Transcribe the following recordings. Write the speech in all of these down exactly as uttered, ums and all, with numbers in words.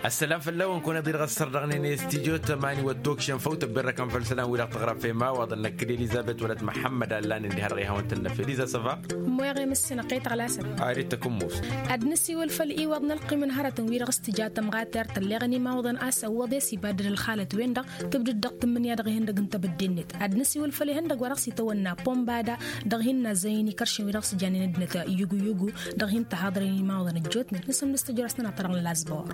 Ăssălam făll-awăn kăwăn-iḍi dăɣ-ăssăr dăɣ-nene studio tămani wăr tokšăn făw tăbberrăkăn făll-isălan wi-dăɣ tăɣrăf i-imawaḍăn năkk d-elizăbet wăla t-măḥămmăd allan ǝndi hărăt i-hawăn-tăn-năfel eliza săva. Ămmoyăɣ i-măssinăɣ kăy-tăɣlasăn. Ad-nǝsiwǝl făll-iwăḍ n-ălqim n-hărătăn wi-dăɣ s-tǝja tămɣatert tălleɣăn imawaḍăn a-s ăwwăḍ i-s ibaddăd ălxalăt-wen-dăɣ tǝbdǝd dăɣ-tǝmmǝnǝya dăɣ-ihăndăg n-tebădde-net. Ad-nǝsiwǝl făll-ihăndăg wa dăɣ-s itawănna pombada dăɣ-hin-nazzăyăn ikăršăn wi dăɣ-s jannen ăddinăt yugu-yugu dăɣ-hin-tăhaḍrăyăn imawaḍăn ăjjootnen nǝsǝmdǝs tăjorăsnăn ad-tărăɣ n-lazbor.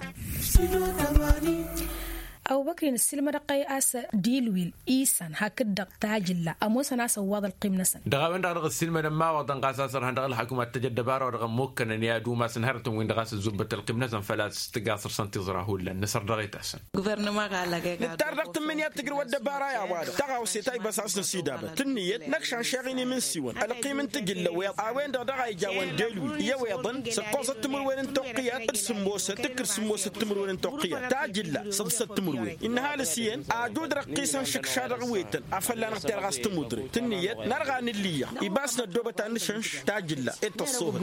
Ăbubăkri nǝssilmădăɣ-tăy a-s dilwil isan hakd-dăɣ tajǝlla ămoosăn a-s ăwwaḍ ălqim-năsăn. Dăɣ-a-wen-dăɣ dăɣ-ăssiilmădăn imawaḍăn ɣas a-s ărhăn dăɣ-ălḥăkum ad-t-ăj ăddăbara wa dăɣ-ămmukkănăn i-ad-umasăn hărătăn-win-dăɣ a-s ǝzzubbăt ălqim-năsăn făl-a-s tǝggaṣăr-săn tiẓra hullan nǝsăr dăɣ-e-tasăn. Nǝttar dăɣ-tǝmmǝnǝya ad-tǝjrǝw ăddăbara i-a-wa-dăɣ tăɣawse ta ibas a-s nǝsidabăt tǝnniyăt năkšan šeɣ-in imǝnsiwăn ălqim n-tijǝlla-wi a-wen-dăɣ dăɣ-a ijawăn delwi i-ăweḍăn săkkoẓăt timǝrwen n-toqqǝyat d-sǝmmosăt tǝkkǝr sǝmmosăt timǝrwen n-toqqǝyat tajǝlla săḍsăt timǝrwen innă ăhalǝs iyyăn ajud răqqisăn šǝkša dăɣ-wetăn afăl lanăɣ-terɣas timudre tǝnniyăt nărɣa n-ǝlliyăɣ ibas năddoobăt ad-nǝšănš tajǝlla. Ed tăṣṣohăt.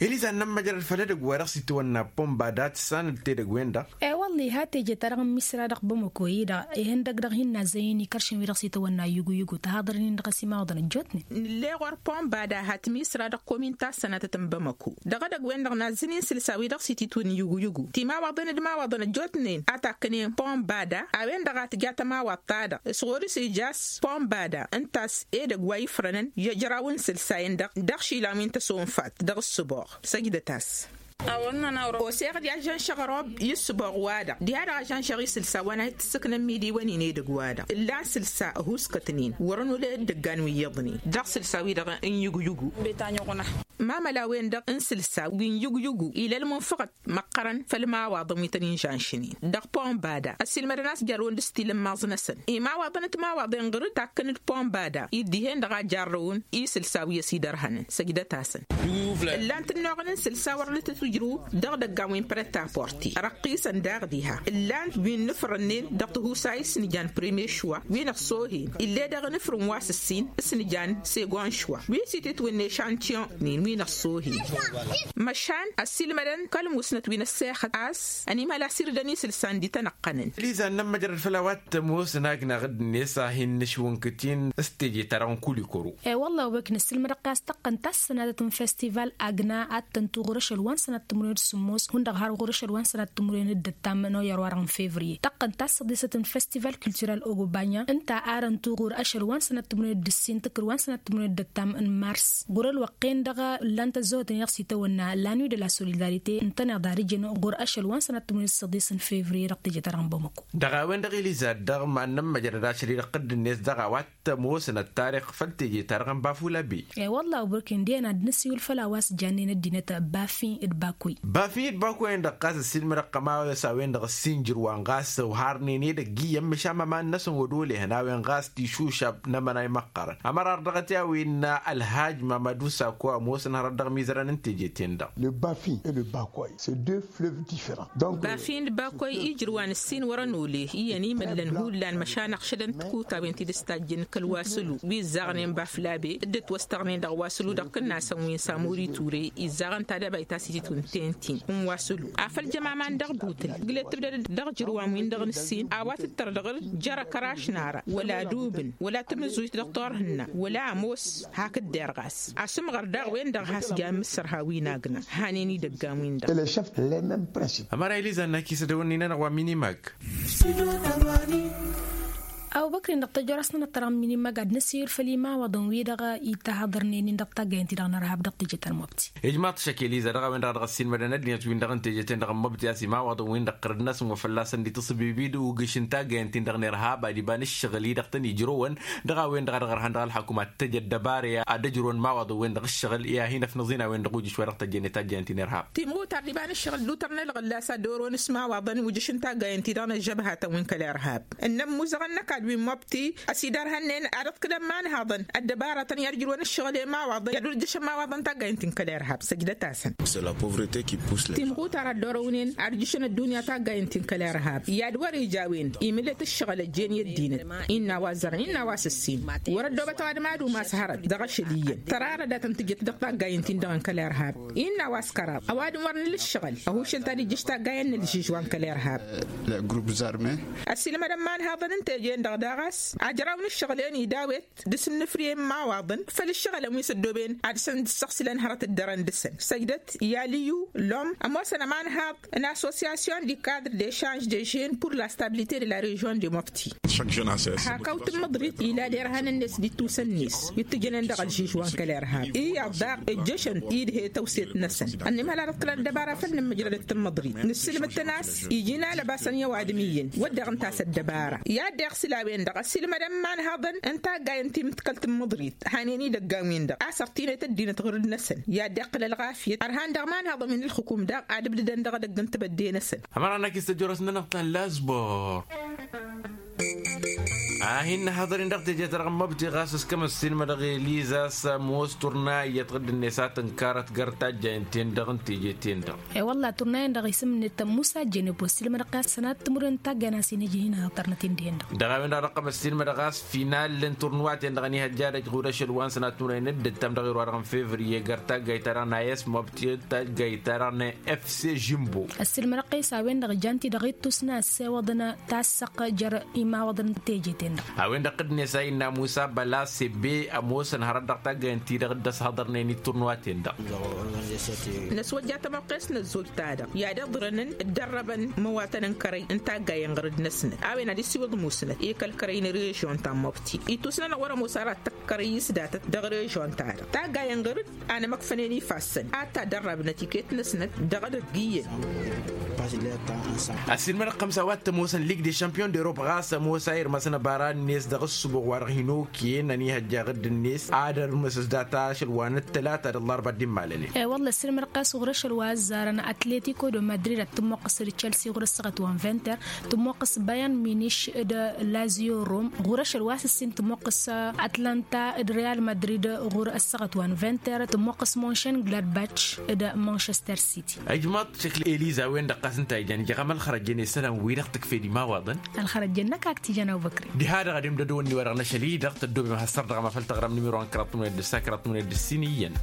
Eliza n-ămmăjrăd făll-edăgg wa dăɣ-s itwănna pombada tǝssanăd-t edăgg-wen-dăɣ. E-wălla iha teje-ta-dăɣ n-misra dăɣ-bamăko-i-dăɣ ihăndăg dăɣ-hin-nazzăyăn ikăršăn wi dăɣ-s itwănna yugu-yugu tăhaḍărăn-in dăɣ-s imawaḍăn ăjjootnen. Nǝlle ɣur-pombada hat misra dăɣ-komin ta s-sănatăt n-bamăko dăɣ-edăgg-wen-dăɣ nazzăn-in sǝlsa wi dăɣ-s ititwǝn yugu-yugu timawaḍăn d-imawaḍăn ăjjootnen a takkănen pombada a-wen-dăɣ a tǝjat ămawaḍ-ta-dăɣ s-ɣur-s ija a-s pombada ǝnta a-s edăgg wa ifrănăn i-ăjraw n-isǝlsayen-dăɣ dăɣ-išilan wi n-tăsonfat dăɣ-ǝssǝboɣ. Săjdăt-as. Oseɣ-dd i-ažžănšăɣ ărobbi i-ǝssǝboɣ-wa-dăɣ diha-dăɣ ažžănšăɣ isǝlsa wa n-a hi-t-ǝssǝknăn midi wăn-in edăgg-wa-dăɣ ǝllan sǝlsa ăhuuskătnen wăr-ănulăy ăddăggan wi iyyăḍnen dăɣ-sǝlsa-wi-dăɣ n-yugyugu. Mamăla-wen-dăɣ n-sǝlsa wi n-yugyugu ila ălmunfăɣăt măqqărăn făll-imawaḍăn wi tăn-in-žănšnen dăɣ-pombada ăssiilmădăn a-s jarrăwăn d-asǝtilǝmmaẓ-năsăn imawaḍăn d-timawaḍen ɣur-dd takkăn d-pombada-i d-dihen-dăɣ a jarrăwăn isǝlsa wi ăsidărhănăn săjdăt-asăn. Ǝllan-t ănnuɣăn n-isǝlsa wăr dd-tǝtwǝjrǝw dăɣ-idăggan wi n-prăt-a-porti răqqisăn daɣ diha ǝllan-t wi n-inǝfrănnen dăɣ-tihusay s-nǝjan premier šwa wi n-ăṣṣohen ill'-e dăɣ-inǝfrǝn wa s-ǝssin s-nǝjan segon šwa wi s-itǝtwǝnne šantiyon-nin wi n-ăṣṣohen. Măšan ăssiilmădăn kăl-musnăt wi n-ăssexăt a-s ănimhăl a-s irdăn isǝlsan d-itănăɣ-tăn. Eliza n-ămmăjrăd făll-a-wa t-ămoosăn agnaɣ-dd-net a hin-nǝšwǝnkǝt-in s-teje-ta-dăɣ n-kulikoro. E-wălla a-wa băkk n-ǝssǝlmădăɣ-t a-s tăqqăn tassănadăt n-festival agna ad-tăn-tu ɣur-ašăl wa n-sănat timǝrwen d-sǝmmos hundăɣ har ɣur-ašăl wa n-sănat timǝrwen d-ăttam n-oyăr-wa-dăɣ n-fevriye tăqqăn tassăḍisăt n-festival culturel ogobanya ǝnta a dăn-tu ɣur-ašăl wa n-sănat timǝrwen d-ǝssin tǝkkǝd wa n-sănat timǝrwen d-ăttam n-mars ɣur-ălwăqq-en-dăɣ ǝllan-t ăzzăhotăn i-dăɣ s-itawănna la nuit de la solidarite ǝntăneḍ ad-ǝjǝn ɣur-ašăl wa n-sănat timǝrwen d-săḍis n-fevriye dăɣ-teje-ta-dăɣ n-bamăko. Dăɣ-a-wen-dăɣ eliza dd-dăɣ ma n-ămmăjrăd ašăl-i-dăɣ dd-net dăɣ-a-wa t-ămoosăn ăttarix făll-teje-ta-dăɣ n-bafulabe. E-wălla a-wa bărken d-iyyăn ad-nǝsiwǝl făll-a-wa s-jannen ăddinăt bafi d-bakoy. Bafi d-bakoy-en-dăɣ ɣas ăssiilmădăɣ-t ămaos a-wen-dăɣ ǝssin jǝrwa n-ɣas ǝwharnen edăgg iyyăn măšan măman-năsăn wăr-olehăn a-wen ɣas tišušab n-amănay măqqărăn ămărar dăɣ-t i-a-wen ălhaj mamădu sako ămoosăn hărăt dăɣ-imizărăn n-teje-ten-dăɣ. Le bafi et le bakoy. C'est deux fleuves différents. Bafin d-bakoy ijrǝw wa n-ǝssin wăr-ănole iyyăn imǝllăn hullan măšan ăɣšădăn tikutawen ti dd-ăstajjăn kăl-wasǝlu wi ǝzzaɣnen baflabe dd-ătwăstăɣnen dăɣ-wasǝlu dăɣ-kǝnnasăn wi n-samuri ture izzaɣăn tadăbayt a-s ititwǝnten-tin n-wasǝlu afăl jăm aman dăɣ-butǝl ǝglet tǝbdăd dăɣ-ijrǝwan-win-dăɣ n-ǝssin a-wa tǝttăr dăɣ-dd-jărăkăraš n-ara wăla dubǝn wăla tǝmǝzujt dăɣ-turhǝnna wăla ămoos hakd derɣas asǝmɣăr daɣ-wen-dăɣ has-jan mǝssărha wi n-agna hanen idăggan-win-dăɣ. Ămăra eliza n-akisăd ăwănnin-anăɣ wa minimag. Ăbubăkr-in-dăɣ tăjorăsnănăt-ta-dăɣ n-minimag ad-năsiwǝl făll-imawaḍăn-wi-dăɣ itahăḍărnen-in dăɣ-taggayăn-ti-dăɣ n-ărhab dăɣ-teje-ta n-mobti. Ijmaḍ-t šăkk eliza dăɣ-a-wen-dăɣ a dăɣ-ăssiilmădăn ăddinăt-win-dăɣ n-teje-ten-dăɣ n-mobti a-s imawaḍăn-win-dăɣ ɣărăd-năsăn wa fălla-săn dd-itasǝbibid ugǝš n-taggayăn-tin-dăɣ n-irhab ad-iba n-ǝššăɣǝl-i-dăɣ tăn-ijrăwăn dăɣ-a-wen-dăɣ a dăɣ-ărhăn dăɣ-ălxăkum ad-t-ăj ăddăbara ad-ăjrăwăn imawaḍăn-wen-dăɣ ǝššăɣǝl i-ad-hin-ăfnăẓ-in a-wen-dăɣ ujǝš wa dăɣ-tăjjănet taggayăn-tin-irhab. Timɣutar d-iba n-ǝššăɣǝl d-utărnălăɣ ǝllas ad-dd-oron s-imawaḍăn ujǝš n-taggayăn-ti-dăɣ n-ăžžăbhatăn wi n-kăl-irhab ǝnnăn imuzăɣăn n-ăkall. wi n-mobti ăsidărhănnen ad-ăḍkǝlăn imanhaḍăn ăddăbaratăn i-ad-ǝjrǝwăn ǝššăɣǝl i-imawaḍăn i-ad-wăr-ǝjjăšăn imawaḍăn taggayǝn ti n-kăl-irhab săjdăt-asăn. Timɣutar a dd-orăwnen ad-ǝjjǝšăn ăddunya taggayǝn ti n-kăl-irhab i-ad-wăr-ija a-wen imǝllet ǝššăɣǝl ăjjeen i-ăddinăt. Innă a-wa ăzzărăn innă a-wa s-ǝssin wăr-ăddoobăt ăwadǝm ad-umas hărăt dăɣ-ašăl iyyăn tărarăd a tăn-tǝjjăt dăɣ-taggayǝn-tin-dăɣ n-kăl-irhab. Innă a-wa s-kăraḍ ăwadǝm wăr nǝla ǝššăɣǝl ăhušăl ta d-ijjǝš taggayăn n-ălžižwa n-kăl-irhab. Ăsilmădăn imanhaḍăn n-teje-en-dăɣ daɣ a-s ajraw n-ǝššăɣǝl-en idawet dăr-s ǝnnǝfrǝyăn imawaḍăn făll-ǝššăɣǝlăn wi s-ăddooben ad-săn dd-săɣsǝlăn hărăt dd-dărăn dăr-săn săjdăt i-alǝyyu lom ămoosăn ămanhaḍ n-association du cadre de change de jeune pour la stabilité de la region de mobti. Hak awǝt n-măḍrit ila derhan-net d-ittusăn-net wi t-tǝjănen dăɣ-ălžižwa n-kăl-irhab iyyăḍ daɣ ǝjjăšăn-t idhe tăwset-năsăn. Ănnim hăl ad-ăḍkălăn ăddăbara făll-nǝmmǝjrădăt n-măḍrit nǝssǝlmǝd-tăn a-s iji n-alăbasăn i-ăwadǝm iyyăn wădden ǝnta a-s ăddăbara i-ad-deɣ s-ila a-wen-dăɣ ăssiilmădăn imanhăḍăn n-taggayăn ti mǝḍkălt n-măḍrit hanen idăggan-win-dăɣ a-s ărtinăt ăddinăt ɣur-năsăn i-ad-deɣ tǝla ălɣafyăt ărhan dăɣ-imanhăḍăn wi n-ǝlxǝkum daɣ ad-ǝbdǝdăn dăɣ-edăgg n-tibădde-năsăn. Ămăra n-akis tăjorăs-nănăɣ ta n-lazbor. A hin-năhăḍăr-in dăɣ-teje-ta-dăɣ n-măbti ɣas s-kămăssin mădăɣ eliza s-ămoos turna iyyăt ɣǝdd-net a tǝnkarăt găr tajjayăn-ten-dăɣ n-teje-ten-dăɣ. E-wălla turna-in-dăɣ isǝm-net tămmusa jenebo s-ilmădăɣ i-ad-sănat timǝrwen n-taggayăn a-s inǝjǝh-in ad-tărnăt-in dihen-dăɣ. Dăɣ-a-wen-dăɣ a dăɣ-tămăssin mădăɣ a-s final n-turnuwa-ten-dăɣ n-ihăjja dăj ɣur-ašăl wa n-sănat timǝrwen n-dd-ǝttam dăɣ-iruwa-dăɣ n-fevriye găr taggayt-ta-dăɣ n-a s-măbti d-taggayt-ta-dăɣ n-efse žimbo. Ăssiilmădăɣ-t a-s a-wen-dăɣ jan-ti-dăɣ ittusna ăssewăḍăn tassăɣt jer-imawăḍăn n-teje-ten-dăɣ. A-wen-dăɣ dd-nesa innă musa băla sebbe ămoosăn hărăt dăɣ-taggayăn-ti-dăɣ dd-ăshăḍărnen i-turnuwa-ten-dăɣ. Năswăjja tămoqqes n-ăzzoj-ta-dăɣ i-ad-iḍrănăn dd-ărrăbăn imăwatăn n-kărăy n-taggayăn ɣur-dd-năsnăt a-wen ad-isiwǝḍ musnăt i-kăl-kărăy n-režion ta n-mobti ittusna-năɣ wăr-ămoos ara d-tăkkărăy s-datăt dăɣ-režion-ta-dăɣ taggayăn ɣur-dd. Anămăkfănen ifassăn ad-t-ad-ărrabnăt iket-năsnăt dăɣ-edăgg iyyăn. Ăssiilmădăɣ-t ămsa wa t-ămoosăn lig de šampiyon de rop ɣas ămoos a irmăsăn ăbara-net dăɣ-ǝssǝboɣ wa-dăɣ hin-okăyăn ănihăjja ɣǝdd-net ad-ărmǝsǝs data ašăl wa n-ăttălata d-ăllarba dd-immalănen. E-wălla ăssiilmădăɣ-t a-s ɣur-ašăl wa ăzzarăn atletiko de madrid ad-tǝmmoqqǝs d-čelsi ɣur-ăssaɣăt wa n-vinter tǝmmoqqǝs bayan miniš d-lazio rom ɣur-ašăl wa s-ǝssin tǝmmoqqǝs atlanta d-real madrid ɣur-ăssaɣăt wa n-vinter tǝmmoqqǝs monšen gladbach d-manchester city. Ijmaḍ šăkl eliza a-wen-dăɣ ɣas ǝnta a ijan ija ɣam ălxărăjjăn isălan-wi-dăɣ tǝkfed imawăḍăn. Ălxărăjjăn năkk ak t-ijăn abubăkri. Diha-dăɣ ad-imdădăwăn-ni-wa-dăɣ n-ašăl-i-dăɣ tăddobem has-săr dăɣ-amafăl taɣrăm nimiro n-kăraḍ tǝmǝned d-ǝssa kăraḍ tǝmǝned d-ǝssin iyyăn.